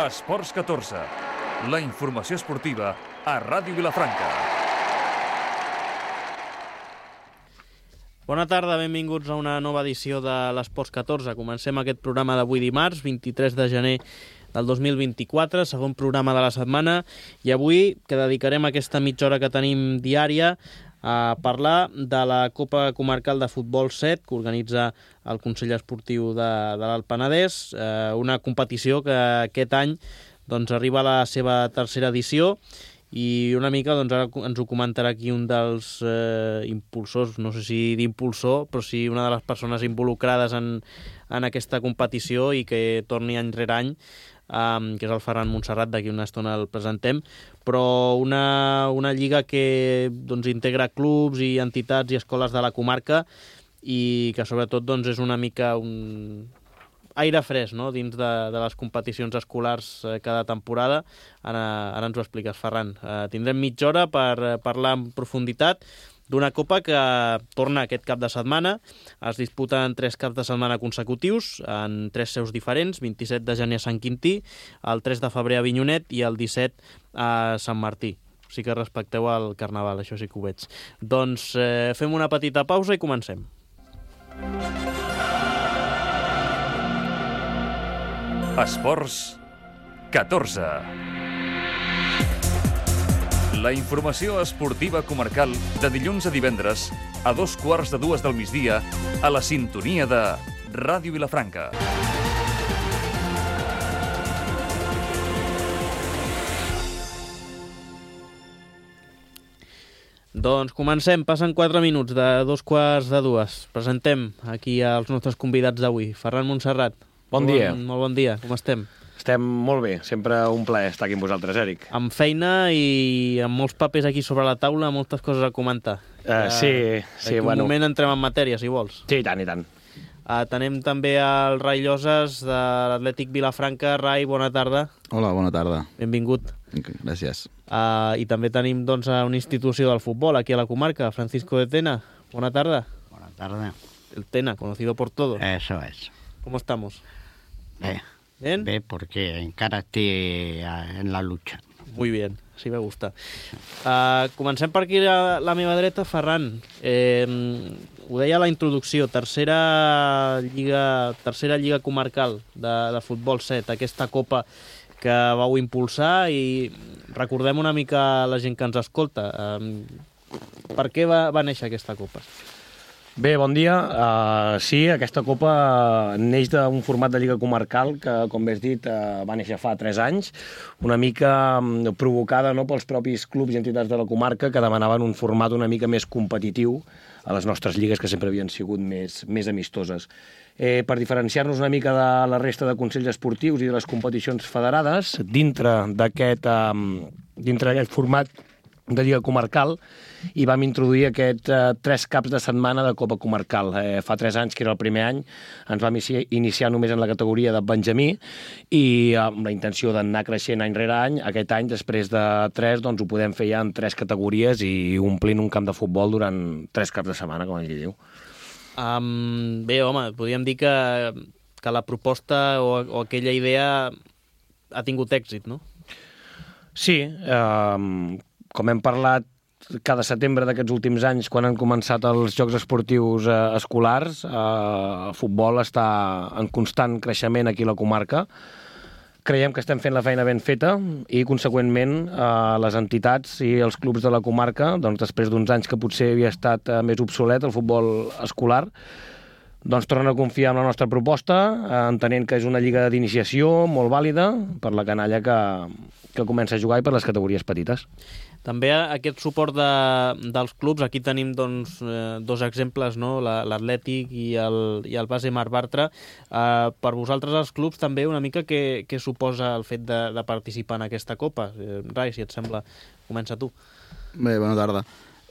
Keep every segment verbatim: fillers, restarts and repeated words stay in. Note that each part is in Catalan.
Esports catorze, la informació esportiva a Ràdio Vilafranca. Bona tarda, benvinguts a una nova edició de l'Esports catorze. Comencem aquest programa d'avui dimarts, vint-i-tres de gener del dos mil vint-i-quatre, segon programa de la setmana, i avui que dedicarem aquesta mitja hora que tenim diària a parlar de la Copa Comarcal de Futbol set que organitza el Consell Esportiu de, de l'Alt Penedès, eh, una competició que aquest any doncs, arriba a la seva tercera edició, i una mica doncs, ara ens ho comentarà aquí un dels eh, impulsors, no sé si d'impulsor, però sí una de les persones involucrades en, en aquesta competició i que torni any rere any, um, que és el Ferran Montserrat, d'aquí una estona el presentem, però una, una lliga que doncs, integra clubs i entitats i escoles de la comarca i que sobretot doncs, és una mica un aire fresc, no?, dins de, de les competicions escolars eh, cada temporada. Ara, ara ens ho expliques, Ferran. Eh, tindrem mitja hora per eh, parlar en profunditat d'una copa que torna aquest cap de setmana. Es disputa en tres caps de setmana consecutius, en tres seus diferents, vint-i-set de gener a Sant Quintí, el tres de febrer a Avinyonet i el disset a Sant Martí. Sí que respecteu el Carnaval, això sí que ho veig. Doncs eh, fem una petita pausa i comencem. Esports catorze. La informació esportiva comarcal de dilluns a divendres a dos quarts de dues del migdia a la sintonia de Ràdio Vilafranca. Doncs comencem, passen quatre minuts de dos quarts de dues. Presentem aquí els nostres convidats d'avui. Ferran Montserrat. Bon dia. Bon, molt bon dia, com estem? Estem molt bé, sempre un plaer estar aquí amb vosaltres, Eric. Amb feina i amb molts papers aquí sobre la taula, moltes coses a comentar. Uh, sí, sí, bueno. bueno. Un moment entrem en matèria, si vols. Sí, i tant, i tant. Uh, tenem també el Rai Lloses de l'Atlètic Vilafranca. Rai, bona tarda. Hola, bona tarda. Benvingut. Gràcies. Uh, I també tenim doncs, una institució del futbol aquí a la comarca, Francisco de Tena. Bona tarda. Buenas tardes. El Tena, conocido por todos. Eso es. ¿Cómo estamos? Bé, ¿Bien? bé, porque encara estic en la lucha. Muy bien, sí me gusta. Uh, comencem per aquí a la meva dreta, Ferran. Eh, ho deia a la introducció, tercera lliga, tercera lliga comarcal de, de futbol set, aquesta copa que vau impulsar, i recordem una mica la gent que ens escolta. Uh, per què va, va néixer aquesta copa? Bé, bon dia. Uh, sí, aquesta copa neix d'un format de lliga comarcal que, com bé has dit, uh, va néixer fa tres anys, una mica um, provocada, no?, pels propis clubs i entitats de la comarca que demanaven un format una mica més competitiu a les nostres lligues, que sempre havien sigut més, més amistoses. Eh, per diferenciar-nos una mica de la resta de consells esportius i de les competicions federades, dintre d'aquest um, dintre d'aquest format de lliga comarcal, i vam introduir aquest eh, tres caps de setmana de Copa Comarcal. Eh, fa tres anys, que era el primer any, ens vam iniciar només en la categoria de Benjamí i amb la intenció d'anar creixent any rere any. Aquest any, després de tres, doncs ho podem fer ja en tres categories i omplint un camp de futbol durant tres caps de setmana, com ell diu. Um, bé, home, podríem dir que, que la proposta o, o aquella idea ha tingut èxit, no? Sí, eh, com hem parlat cada setembre d'aquests últims anys, quan han començat els Jocs Esportius eh, escolars, eh, el futbol està en constant creixement aquí a la comarca. Creiem que estem fent la feina ben feta i, conseqüentment, eh, les entitats i els clubs de la comarca, doncs, després d'uns anys que potser havia estat eh, més obsolet el futbol escolar, doncs tornen a confiar en la nostra proposta, eh, entenent que és una lliga d'iniciació molt vàlida per la canalla que, que comença a jugar i per les categories petites. També aquest suport de, dels clubs, aquí tenim doncs, eh, dos exemples, no? l'Atlètic i el, i el Base Mar Bartra. Eh, per vosaltres els clubs també una mica què, què suposa el fet de, de participar en aquesta copa? Eh, Rai, si et sembla, comença tu. Bé, bona tarda.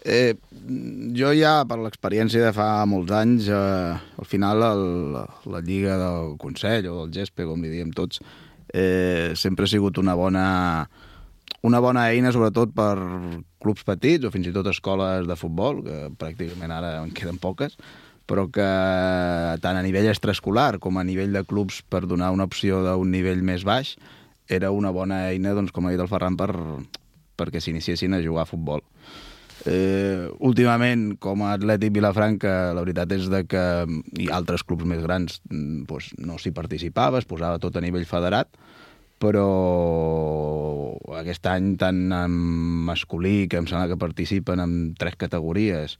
Eh, jo ja, per l'experiència de fa molts anys, eh, al final el, la lliga del Consell o del Gespe, com li diem tots, eh, sempre ha sigut una bona... una bona eina, sobretot per clubs petits o fins i tot escoles de futbol, que pràcticament ara en queden poques, però que tant a nivell extraescolar com a nivell de clubs per donar una opció d'un nivell més baix, era una bona eina, doncs, com ha dit el Ferran, per, perquè s'iniciessin a jugar a futbol. Eh, últimament, com a Atlètic Vilafranca, la veritat és de que i altres clubs més grans doncs, no s'hi participava, es posava tot a nivell federat, però aquest any tant en masculí, que em sembla que participen en tres categories,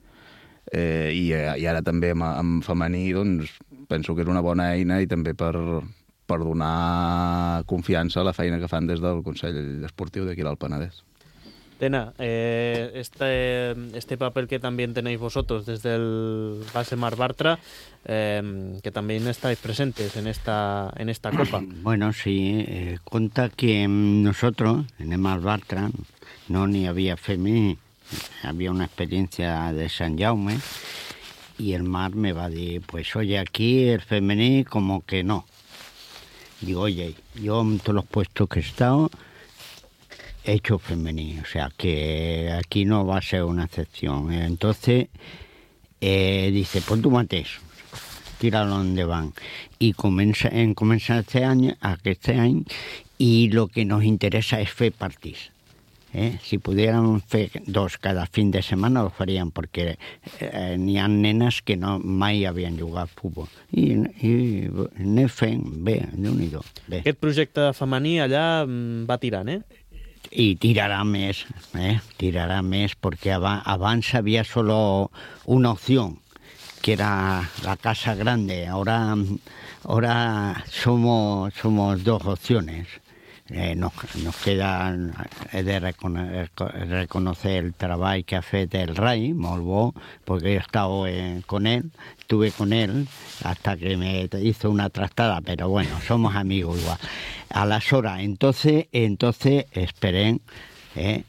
eh, i, i ara també en, en femení, doncs penso que és una bona eina i també per, per donar confiança a la feina que fan des del Consell Esportiu d'aquí al Penedès. Tena, eh, este, este papel que también tenéis vosotros desde el Base Mar Bartra, eh, que también estáis presentes en esta, en esta Copa. Bueno, sí, eh, cuenta que nosotros, en el Mar Bartra, no ni había femení, había una experiencia de San Jaume, y el Mar me va a decir, pues oye, aquí el femení como que no. Digo, oye, yo en todos los puestos que he estado, he hecho femení, o sea que aquí no va a ser una excepción. Entonces, eh, dice, pues tú mates, tíralo donde van. Y comienza, en, comienza este año, a que este año, y lo que nos interesa es fer partís. Eh? Si pudieran fer dos cada fin de semana, lo farían, porque eh, n'hi ha nenes que no mai havien jugat a futbol. I, i anem fent bé, Déu-n'hi-do. Bé. Aquest projecte femení allà va tirant, eh? Y tirará més, eh? tirará més, porque abans había solo una opción, que era la casa grande. Ahora, ahora somos, somos dos opciones. Eh, nos, nos queda he de reconocer, reconocer el treball que ha fet el Rai, molt bo, porque he estado eh, con él, estuve con él hasta que me hizo una trastada, pero bueno, somos amigos igual. A las horas, entonces, entonces esperen, eh,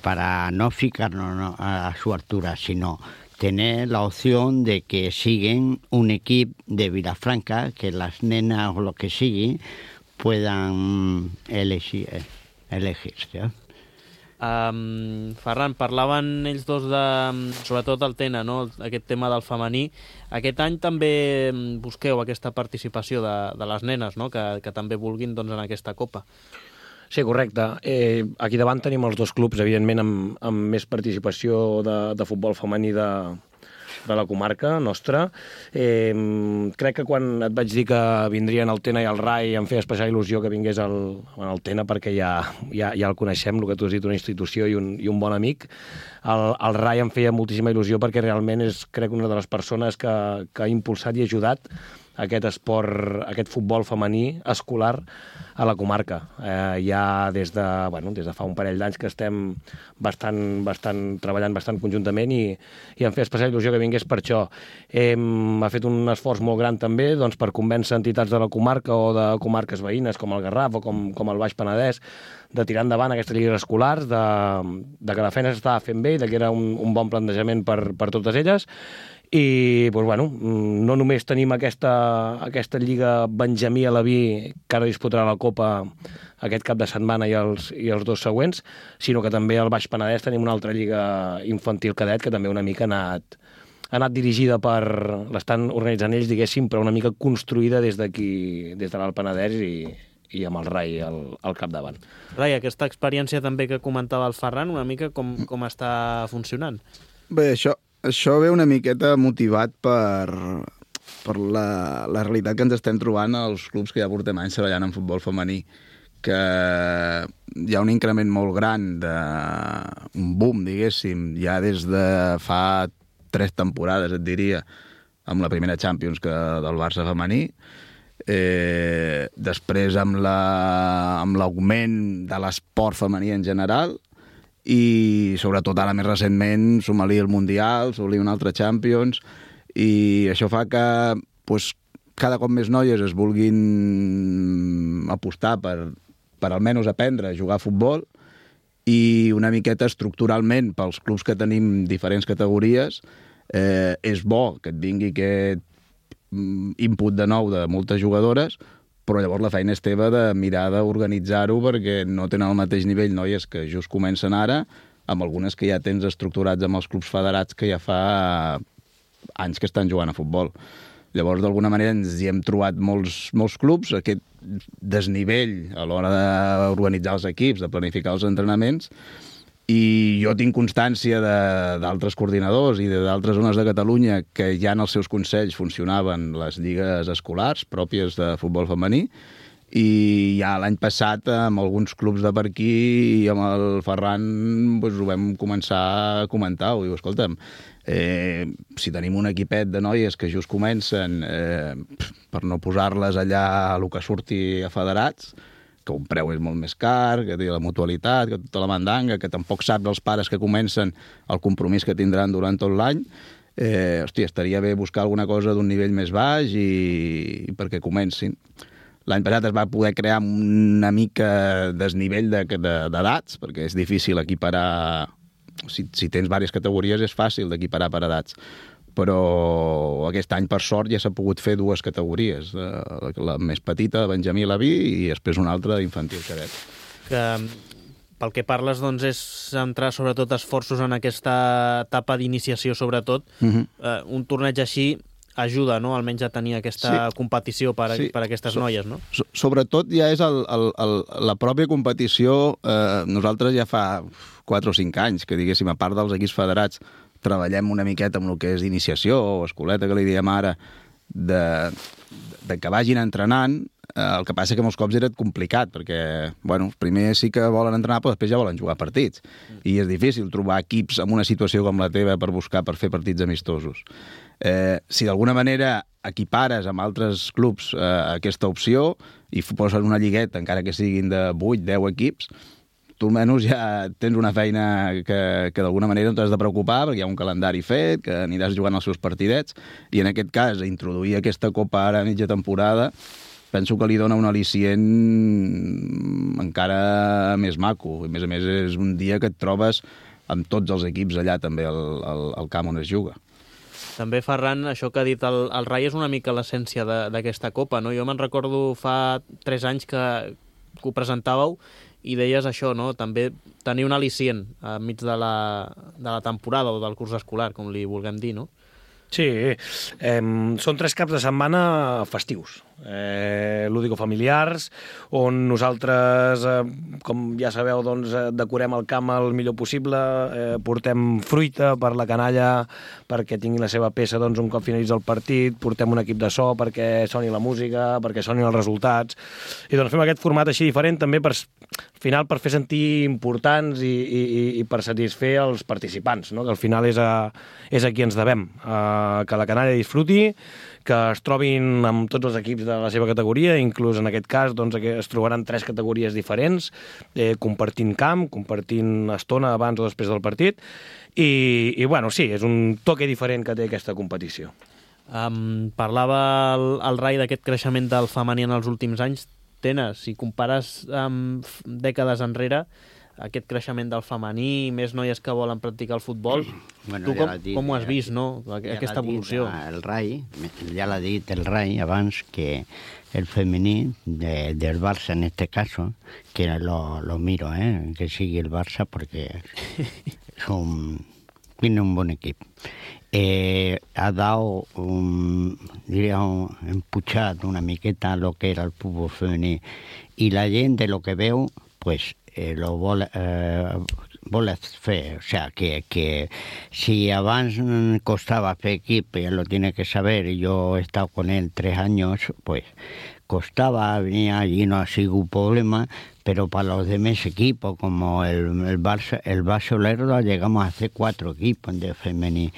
para no fijarnos a su altura, sino tener la opción de que siguen un equipo de Vilafranca, que las nenas o lo que siguen puedan elegir, elegir-se. Um, Ferran, parlaven ells dos de, sobretot el Tena, no? Aquest tema del femení. Aquest any també busqueu aquesta participació de, de les nenes, no? que, que també vulguin doncs, en aquesta Copa. Sí, correcte. Eh, aquí davant tenim els dos clubs, evidentment, amb, amb més participació de, de futbol femení de, de la comarca nostra. Eh, crec que quan et vaig dir que vindrien el Tena i el Rai em feia especial il·lusió que vingués el, el Tena, perquè ja, ja, ja el coneixem, el que tu has dit, una institució i un, i un bon amic. El, el Rai em feia moltíssima il·lusió perquè realment és, crec, una de les persones que, que ha impulsat i ajudat aquest esport, aquest futbol femení escolar a la comarca. Eh, ja des de, bueno, des de fa un parell d'anys que estem bastant, bastant, treballant bastant conjuntament i, i em feia especial il·lusió que vingués per això. Hem ha fet un esforç molt gran també doncs, per convèncer entitats de la comarca o de comarques veïnes com el Garraf o com, com el Baix Penedès de tirar endavant aquestes lligues escolars, de, de que la feina s'estava fent bé i de que era un, un bon plantejament per, per totes elles. I doncs, bueno, no només tenim aquesta, aquesta Lliga Benjamí a Alaví, que ara disputarà la Copa aquest cap de setmana i els, i els dos següents, sinó que també al Baix Penedès tenim una altra Lliga Infantil Cadet que també una mica ha anat, ha anat dirigida per... l'estan organitzant ells, diguéssim, però una mica construïda des d'aquí, des de l'Alt Penedès i, i amb el Rai al, al capdavant. Rai, aquesta experiència també que comentava el Ferran, una mica com, com està funcionant? Bé, això, això ve una miqueta motivat per, per la, la realitat que ens estem trobant als clubs que ja portem anys treballant en futbol femení, que hi ha un increment molt gran, de, un boom, diguéssim, ja des de fa tres temporades, et diria, amb la primera Champions que del Barça femení, eh, després amb la, amb l'augment de l'esport femení en general, i sobretot ara més recentment sumar-li el Mundial, sumar-li un altre Champions, i això fa que pues, cada cop més noies es vulguin apostar per, per almenys aprendre a jugar a futbol, i una miqueta estructuralment pels clubs que tenim diferents categories eh, és bo que et vingui aquest input de nou de moltes jugadores, però llavors la feina és teva de mirar d'organitzar-ho perquè no tenen el mateix nivell noies que just comencen ara, amb algunes que ja tens estructurats amb els clubs federats que ja fa anys que estan jugant a futbol. Llavors, d'alguna manera, ens hi hem trobat molts, molts clubs, aquest desnivell a l'hora d'organitzar els equips, de planificar els entrenaments, i jo tinc constància d'altres coordinadors i d'altres zones de Catalunya que ja en els seus consells funcionaven les lligues escolars pròpies de futbol femení, i ja l'any passat amb alguns clubs de per aquí i amb el Ferran doncs, ho vam començar a comentar. Ho diu, escolta'm, eh, si tenim un equipet de noies que just comencen, eh, per no posar-les allà a lo que surti a federats, que un preu és molt més car, que té la mutualitat, que tota la mandanga, que tampoc saps els pares que comencen el compromís que tindran durant tot l'any, eh, hòstia, estaria bé buscar alguna cosa d'un nivell més baix i, i perquè comencin. L'any passat es va poder crear una mica desnivell d'edats, perquè és difícil equiparar... Si, si tens diverses categories és fàcil d'equiparar per edats, però aquest any, per sort, ja s'ha pogut fer dues categories. La, la més petita, Benjamí Laví, i després una altra d'infantil cadet. Que, pel que parles, doncs, és centrar sobretot esforços en aquesta etapa d'iniciació, sobretot. Uh-huh. eh, un torneig així ajuda, no?, almenys a tenir aquesta sí. competició per, a, sí. per a aquestes so, noies, no? So, sobretot ja és el, el, el, la pròpia competició. Eh, nosaltres ja fa quatre o cinc anys que, diguéssim, a part dels equips federats, treballem una miqueta amb el que és d'iniciació o escoleta, que li diem ara, de, de que vagin entrenant. El que passa que molts cops era complicat, perquè, bueno, primer sí que volen entrenar, però després ja volen jugar partits. I és difícil trobar equips en una situació com la teva per buscar, per fer partits amistosos. Eh, si d'alguna manera equipares amb altres clubs eh, aquesta opció i poses una lligueta, encara que siguin de vuit o deu equips, tu almenys ja tens una feina que, que d'alguna manera no t'has de preocupar, perquè hi ha un calendari fet, que aniràs jugant els seus partidets, i en aquest cas, introduir aquesta copa ara a mitja temporada, penso que li dona un al·licient encara més maco. A més a més, és un dia que et trobes amb tots els equips allà també al, al, al camp on es juga. També, Ferran, això que ha dit el, el Rai és una mica l'essència d'aquesta copa, no? Jo me'n recordo fa tres anys que, que ho presentàveu i deies això, no?, també tenir un al·licient enmig de la, de la temporada o del curs escolar, com li vulguem dir, no? Sí, eh, són tres caps de setmana festius, eh, lúdico-familiars, on nosaltres, eh, com ja sabeu, doncs, decorem el camp el millor possible, eh, portem fruita per la canalla perquè tingui la seva peça, doncs, un cop finalitza el partit, portem un equip de so perquè soni la música, perquè sonin els resultats, i doncs fem aquest format així diferent també per, al final, per fer sentir importants i, i, i per satisfer els participants, no?, que al final és a, és a qui ens devem, a que la canalla disfruti, que es trobin amb tots els equips de la seva categoria, inclús en aquest cas doncs, es trobaran tres categories diferents, eh, compartint camp, compartint estona abans o després del partit, i, i bueno, sí, és un toque diferent que té aquesta competició. Um, parlava el, el Rai d'aquest creixement del femení en els últims anys. Tena, si compares amb dècades enrere, aquest creixement del femení, més noies que volen practicar el futbol, bueno, tu com, dit, com ho has vist, no?, aquesta evolució? El Rai, ja l'ha dit el Rai abans, que el femení de, del Barça en este caso, que lo, lo miro, eh, que sigue el Barça porque son, tiene un buen equipo. Eh, ha dado un, diría, un empuchado una miqueta a lo que era el fútbol femení, y la gent, de lo que veu, pues Eh, lo vol, eh, vol fer, o sea, que, que si abans costaba fer equipo, ya lo tiene que saber, y yo he estado con él tres años, pues costaba, venía allí, no ha sido un problema, pero para los demás equipos, como el, el Barça, el Barça Lerdo, llegamos a hacer cuatro equipos de femení.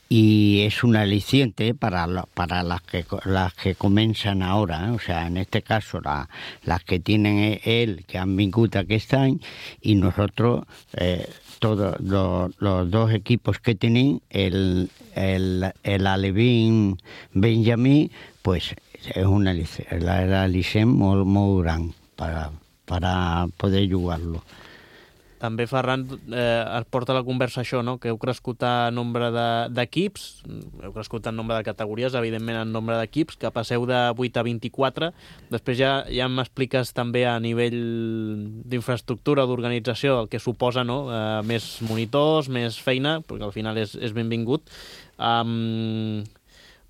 Y es un aliciente para, la, para las, que, las que comienzan ahora, ¿eh? O sea, en este caso la, las que tienen él, que han vingut aquest any, y nosotros, eh, todos los, los dos equipos que tienen, el, el, el Alevín Benjamí, pues es un aliciente, el aliciente molt, molt gran para, para poder jugar-lo. També, Ferran, eh, es porta a la conversa això, no?, que heu crescut a nombre d'equips, de, heu crescut en nombre de categories, evidentment en nombre d'equips, que passeu de vuit a vint-i-quatre. Després ja, ja m'expliques també a nivell d'infraestructura, d'organització, el que suposa, no?, eh, més monitors, més feina, perquè al final és, és benvingut. Um,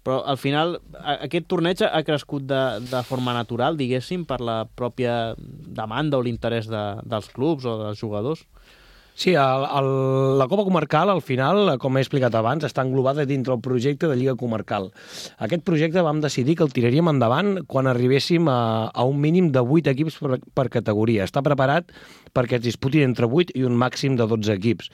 Però al final aquest torneig ha crescut de, de forma natural, diguéssim, per la pròpia demanda o l'interès de, dels clubs o dels jugadors. Sí, el, el, la Copa Comarcal, al final, com he explicat abans, està englobada dintre el projecte de Lliga Comarcal. Aquest projecte vam decidir que el tiraríem endavant quan arribéssim a, a un mínim de vuit equips per, per categoria. Està preparat perquè es disputin entre vuit i un màxim de dotze equips.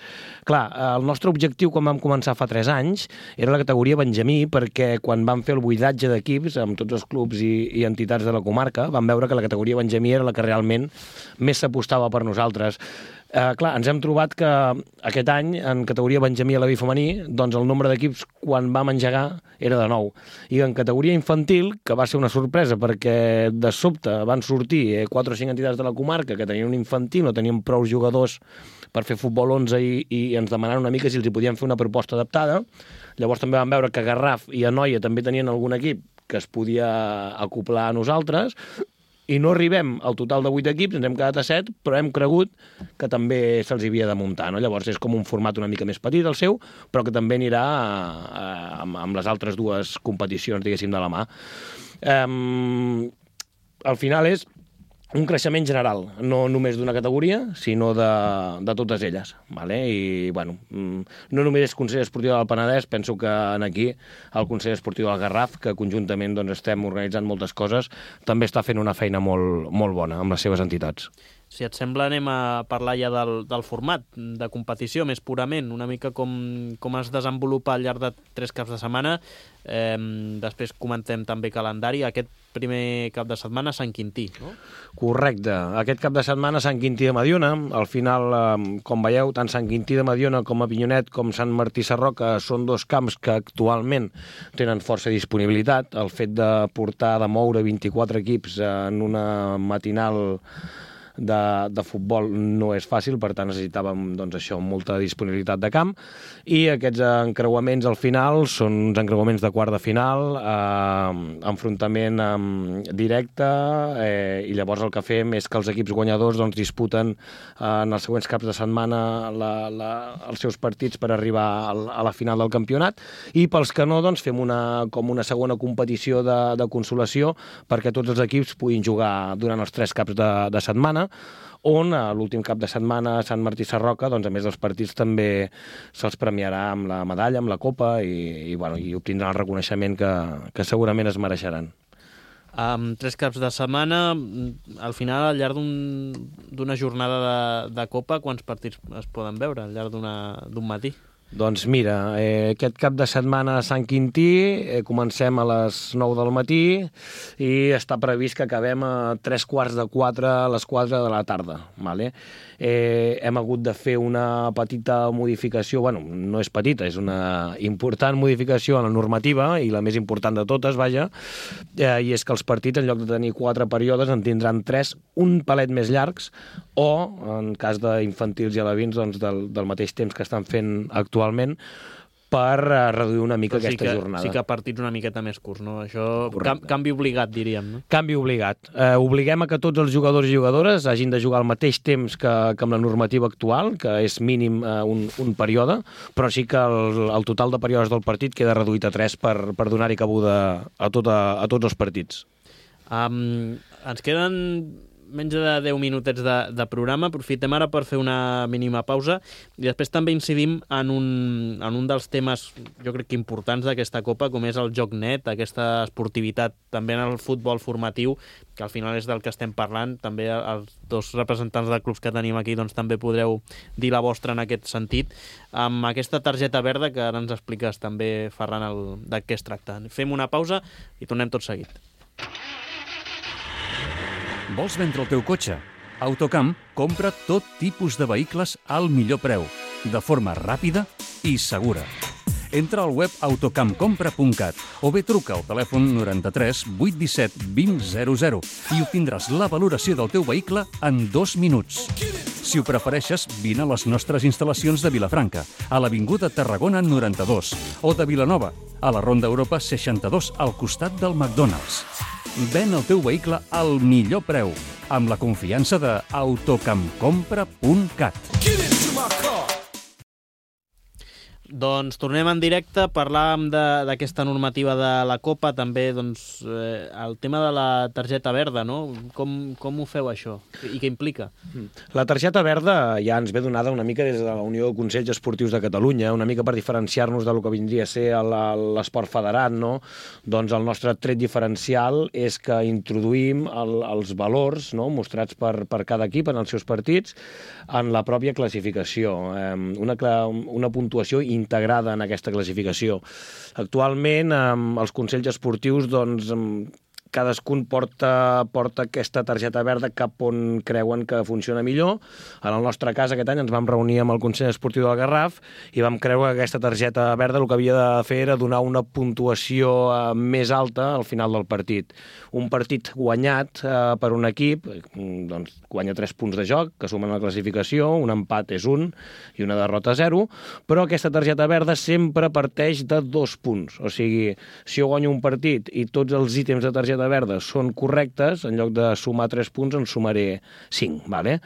Clar, el nostre objectiu quan vam començar fa tres anys era la categoria Benjamí, perquè quan vam fer el buidatge d'equips amb tots els clubs i, i entitats de la comarca, vam veure que la categoria Benjamí era la que realment més s'apostava per nosaltres. Eh, clar, ens hem trobat que aquest any, en categoria Benjamí a la B femení, doncs el nombre d'equips quan vam engegar era de nou. I en categoria infantil, que va ser una sorpresa, perquè de sobte van sortir quatre o cinc entitats de la comarca que tenien un infantil, no tenien prou jugadors per fer futbol onze i, i ens demanaven una mica si els hi podien fer una proposta adaptada. Llavors també vam veure que Garraf i Anoia també tenien algun equip que es podia acoplar a nosaltres, i no arribem al total de vuit equips, ens hem quedat a set, però hem cregut que també se'ls havia de muntar, no? Llavors és com un format una mica més petit, el seu, però que també anirà a, a, amb les altres dues competicions, diguéssim, de la mà. Um, al final és un creixement general, no només d'una categoria, sinó de, de totes elles. Vale? I, bueno, no només és Consell Esportiu del Penedès, penso que aquí el Consell Esportiu del Garraf, que conjuntament doncs, estem organitzant moltes coses, també està fent una feina molt, molt bona amb les seves entitats. Si et sembla, anem a parlar ja del, del format de competició, més purament, una mica com, com es desenvolupa al llarg de tres caps de setmana. Eh, després comentem també calendari. Aquest primer cap de setmana, Sant Quintí, no? Correcte. Aquest cap de setmana, Sant Quintí de Mediona. Al final, eh, com veieu, tant Sant Quintí de Mediona com Avinyonet com Sant Martí Sarroca són dos camps que actualment tenen força disponibilitat. El fet de portar, de moure vint-i-quatre equips en una matinal De, de futbol no és fàcil, per tant necessitàvem doncs, això, molta disponibilitat de camp, i aquests encreuaments al final són uns encreuaments de quart de final, eh, enfrontament eh, directe, eh, i llavors el que fem és que els equips guanyadors doncs, disputen eh, en els següents caps de setmana la, la, els seus partits per arribar a, a la final del campionat, i pels que no doncs, fem una, com una segona competició de, de consolació perquè tots els equips puguin jugar durant els tres caps de, de setmana, on a l'últim cap de setmana a Sant Martí Sarroca, doncs, a més dels partits, també se'ls premiarà amb la medalla, amb la copa, i, i, bueno, i obtindran el reconeixement que, que segurament es mereixeran. Amb tres caps de setmana, al final, al llarg d'una un, jornada de, de copa, quants partits es poden veure al llarg d'un matí? Doncs mira, eh, aquest cap de setmana a Sant Quintí eh, comencem a les nou del matí i està previst que acabem a tres quarts de quatre a les quatre de la tarda. Vale? Eh, hem hagut de fer una petita modificació, bueno, no és petita, és una important modificació en la normativa, i la més important de totes, vaja, eh, i és que els partits, en lloc de tenir quatre períodes, en tindran tres, un palet més llargs, o, en cas d'infantils i alevins, doncs del, del mateix temps que estan fent actualment, per reduir una mica sí aquesta que, jornada. Sí que partits una miqueta més curts, no? Això, cam, canvi obligat, diríem, no? Canvi obligat. Eh, obliguem a que tots els jugadors i jugadores hagin de jugar al mateix temps que, que amb la normativa actual, que és mínim eh, un, un període, però sí que el, el total de períodes del partit queda reduït a tres per, per donar-hi cabuda a, tota, a tots els partits. Um, ens queden menys de deu minutets de, de programa. Aprofitem ara per fer una mínima pausa i després també incidim en un, en un dels temes, jo crec que importants d'aquesta Copa, com és el joc net, aquesta esportivitat també en el futbol formatiu, que al final és del que estem parlant. També els dos representants de clubs que tenim aquí doncs, també podreu dir la vostra en aquest sentit. Amb aquesta targeta verda que ara ens expliques també, Ferran, el, de què es tracta. Fem una pausa i tornem tot seguit. Vols vendre el teu cotxe? Autocamp compra tot tipus de vehicles al millor preu, de forma ràpida i segura. Entra al web autocamp compra punt cat o bé truca al telèfon noranta-tres vuit disset vint zero zero i obtindràs la valoració del teu vehicle en dos minuts. Si ho prefereixes, vine a les nostres instal·lacions de Vilafranca, a l'Avinguda Tarragona noranta-dos, o de Vilanova, a la Ronda Europa seixanta-dos, al costat del McDonald's. Ven el teu vehicle al millor preu, amb la confiança de autocamp compra punt cat. Doncs tornem en directe, parlàvem d'aquesta normativa de la Copa, també doncs, eh, el tema de la targeta verda, no? Com, com ho feu això i què implica? La targeta verda ja ens ve donada una mica des de la Unió de Consells Esportius de Catalunya, una mica per diferenciar-nos del que vindria a ser l'esport federat, no? Doncs el nostre tret diferencial és que introduïm el, els valors, no?, mostrats per, per cada equip en els seus partits en la pròpia classificació. Eh, una, una puntuació integrada en aquesta classificació. Actualment, eh, els consells esportius, doncs, cadascun porta, porta aquesta targeta verda cap on creuen que funciona millor. En el nostre cas, aquest any ens vam reunir amb el Consell Esportiu del Garraf i vam creure que aquesta targeta verda el que havia de fer era donar una puntuació eh, més alta al final del partit. Un partit guanyat eh, per un equip, doncs, guanya tres punts de joc, que sumen a la classificació, un empat és un i una derrota zero, però aquesta targeta verda sempre parteix de dos punts. O sigui, si jo guanyo un partit i tots els ítems de targeta verda són correctes, en lloc de sumar tres punts en sumaré cinc. Vale?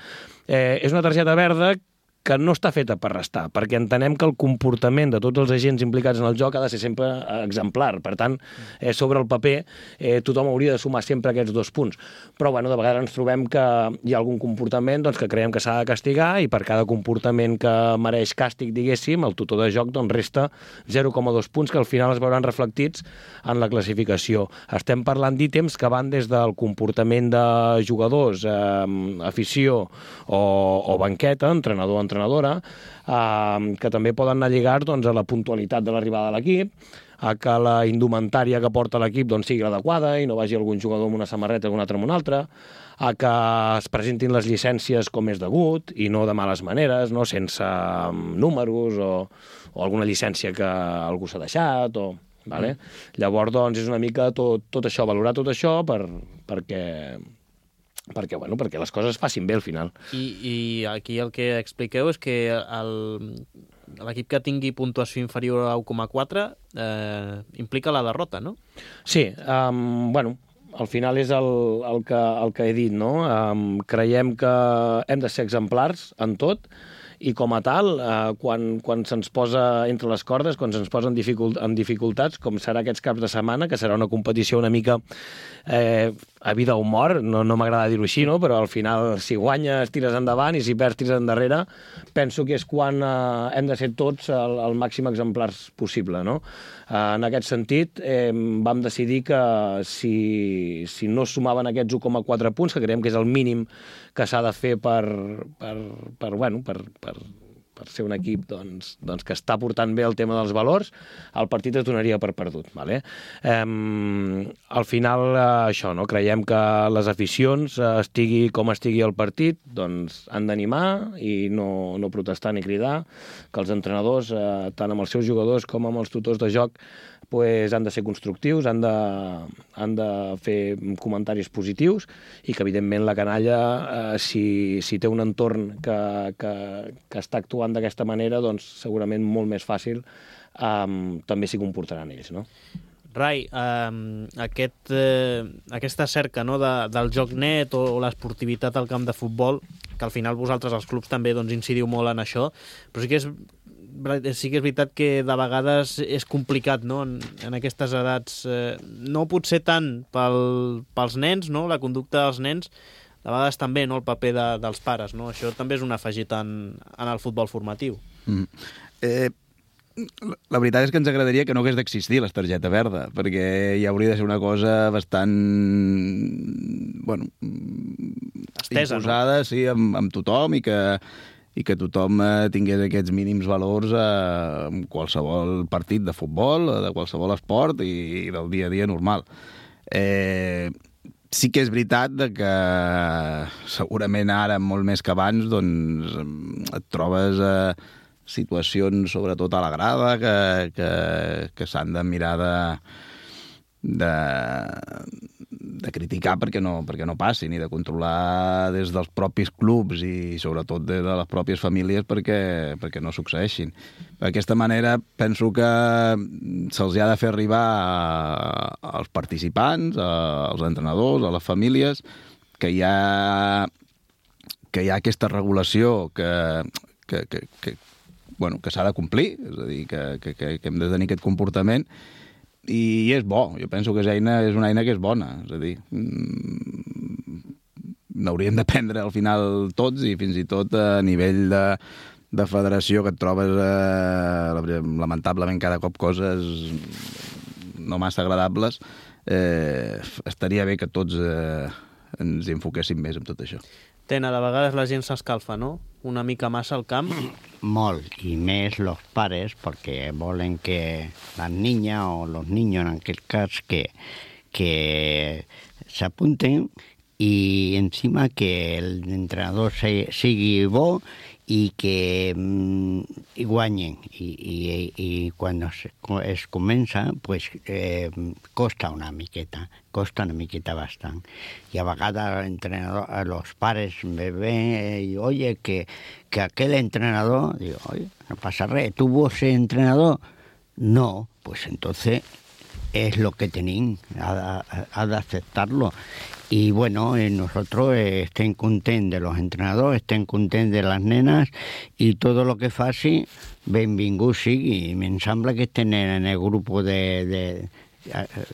Eh, és una targeta verda que no està feta per restar, perquè entenem que el comportament de tots els agents implicats en el joc ha de ser sempre exemplar. Per tant, eh, sobre el paper, eh, tothom hauria de sumar sempre aquests dos punts. Però, bueno, de vegades ens trobem que hi ha algun comportament doncs, que creiem que s'ha de castigar i per cada comportament que mereix càstig, diguéssim, el tutor de joc doncs, resta zero coma dos punts que al final es veuran reflectits en la classificació. Estem parlant d'ítems que van des del comportament de jugadors, eh, afició o, o banqueta, entrenador, entrenador, entrenadora, eh, que també poden anar lligats doncs, a la puntualitat de l'arribada de l'equip, a que la indumentària que porta l'equip doncs, sigui l'adequada i no vagi algun jugador amb una samarreta i un altre amb una altra, a que es presentin les llicències com és degut i no de males maneres, no? Sense números o, o alguna llicència que algú s'ha deixat. O, vale? Mm. Llavors, doncs, és una mica tot, tot això, valorar tot això per, perquè... perquè, bueno, perquè les coses facin bé al final. I, i aquí el que expliqueu és que l'equip que tingui puntuació inferior a u coma quatre eh, implica la derrota, no? Sí, um, bueno, al final és el, el, que, el que he dit, no? Um, creiem que hem de ser exemplars en tot i com a tal, eh, quan, quan se'ns posa entre les cordes, quan se'ns posa en, dificult, en dificultats, com serà aquests caps de setmana, que serà una competició una mica eh, a vida o mort, no, no m'agrada dir-ho així, no? Però al final, si guanyes, tires endavant, i si perds, tires endarrere, penso que és quan eh, hem de ser tots el, el màxim exemplars possible, no? Eh, en aquest sentit, eh, vam decidir que si, si no sumaven aquests u coma quatre punts, que creiem que és el mínim que s'ha de fer per, per, per, bueno, per, per, per ser un equip doncs, doncs que està portant bé el tema dels valors, el partit es donaria per perdut. Vale? Eh, al final, eh, això, no? Creiem que les aficions, eh, estigui com estigui el partit, doncs han d'animar i no, no protestar ni cridar, que els entrenadors, eh, tant amb els seus jugadors com amb els tutors de joc, pues, han de ser constructius, han de, han de fer comentaris positius i que, evidentment, la canalla, eh, si, si té un entorn que, que, que està actuant d'aquesta manera, doncs segurament molt més fàcil eh, també s'hi comportaran ells, no? Rai, eh, aquest, eh, aquesta cerca, no, de, del joc net o, o l'esportivitat al camp de futbol, que al final vosaltres, els clubs, també doncs, incidiu molt en això, però sí que és sí que és veritat que de vegades és complicat, no?, en, en aquestes edats. Eh, no potser tant pel, pels nens, no?, la conducta dels nens, de vegades també, no?, el paper de, dels pares, no? Això també és un afegit en, en el futbol formatiu. Mm. Eh, la veritat és que ens agradaria que no hagués d'existir la targeta verda, perquè ja hauria de ser una cosa bastant, bueno, estesa, imposada, no? Sí, amb, amb tothom, i que i que tothom eh, tingués aquests mínims valors eh, en qualsevol partit de futbol, de qualsevol esport i, i del dia a dia normal. Eh, sí que és veritat de que segurament ara, molt més que abans, doncs, et trobes eh, situacions, sobretot a la grada, que, que, que s'han de mirar de, de, de criticar perquè no, perquè no passin, i de controlar des dels propis clubs i sobretot des de les pròpies famílies perquè, perquè no succeeixin. D'aquesta manera penso que se'ls ha de fer arribar a, als participants, a, als entrenadors, a les famílies, que hi ha, que hi ha aquesta regulació que, que, que, que bueno, que s'ha de complir, és a dir, que, que, que hem de tenir aquest comportament, i és bo, jo penso que és, eina, és una eina que és bona, és a dir, n'hauríem d'aprendre al final tots, i fins i tot a nivell de, de federació, que et trobes eh, lamentablement cada cop coses no massa agradables, eh, estaria bé que tots eh, ens enfoquéssim més en tot això. Tena, de vegades la gent s'escalfa, no? Una mica massa al camp. Molt, i més los pares, perquè volen que la niña o los niños, en aquest cas, que, que s'apunten i encima que l'entrenador sigui bo i que mm, i guanyen. I, i, i quan es, es comença, pues, eh, costa una miqueta, costa una miqueta bastant. Y a vegades l'entrenador, a los pares me ven y oye, que, que aquel entrenador, digo, oye, no pasa res, ¿tú vos ser entrenador? No, pues entonces es lo que tenéis, ha, ha, ha de aceptarlo. Y bueno, eh, nosotros eh, estem contents de los entrenadors, estem contents de les nenes, i tot el que faci, benvingut sigui. Em sembla que estem en el grup de, de,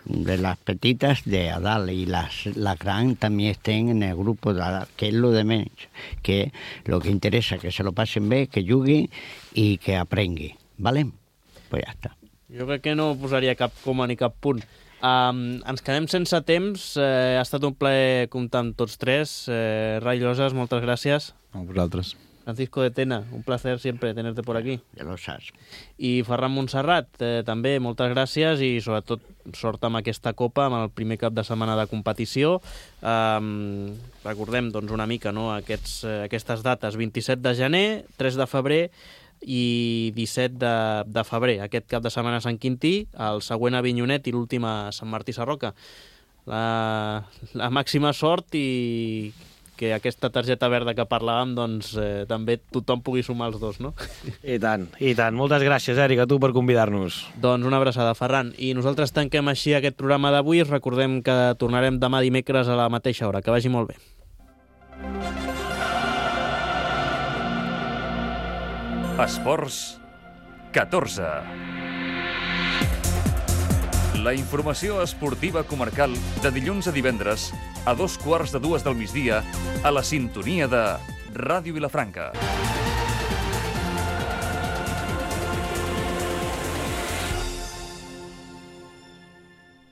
de les petites de a dalt, i les, les grans també estem en el grup de a dalt, que és lo de menys, que lo que interessa, que se lo passen bé, que jugui i que aprengui, ¿vale? Pues ja està. Jo crec que no posaria cap coma ni cap punt. Um, ens quedem sense temps, eh, ha estat un plaer comptar amb tots tres. Eh, Ray Llosas, moltes gràcies. A vosaltres. Francisco de Tena, un placer siempre tenerte por aquí. Ja lo saps. I Ferran Montserrat, eh, també moltes gràcies, i sobretot sort amb aquesta Copa, amb el primer cap de setmana de competició. Um, recordem doncs, una mica, no, aquests, eh, aquestes dates, vint-i-set de gener, tres de febrer i disset de, de febrer. Aquest cap de setmana a Sant Quintí, el següent a Avinyonet i l'últim a Sant Martí Sarroca. La, la màxima sort, i que aquesta targeta verda que parlàvem, doncs eh, també tothom pugui sumar els dos, no? I tant, i tant. Moltes gràcies, Eric, a tu per convidar-nos. Doncs una abraçada, Ferran. I nosaltres tanquem així aquest programa d'avui. Recordem que tornarem demà dimecres a la mateixa hora. Que vagi molt bé. Esports catorze. La informació esportiva comarcal de dilluns a divendres a dos quarts de dues del migdia a la sintonia de Ràdio Vilafranca.